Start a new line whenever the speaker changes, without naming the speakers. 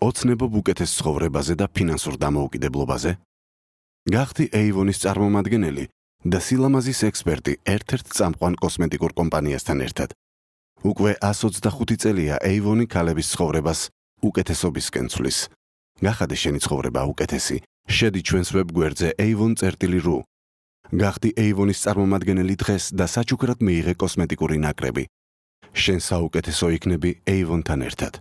ოცნებობ უკეთეს ცხოვრებაზე და ფინანსურ დამოუკიდებლობაზე? გახდი Avon-ის წარმომადგენელი და სილამაზის ექსპერტი ერთ-ერთ წამყვან კოსმეტიკურ კომპანიასთან ერთად. უკვე 125 წელია Avon-ი ქალების ცხოვრებას უკეთესობისკენ ცვლის. გახადე შენი ცხოვრება უკეთესი. შედი ჩვენს ვებგვერდზე avon.ru. გახდი Avon-ის წარმომადგენელი დღეს და საჩუქრად მიიღე კოსმეტიკური ნაკრები. შენ საუკეთესო იქნები Avon-თან ერთად.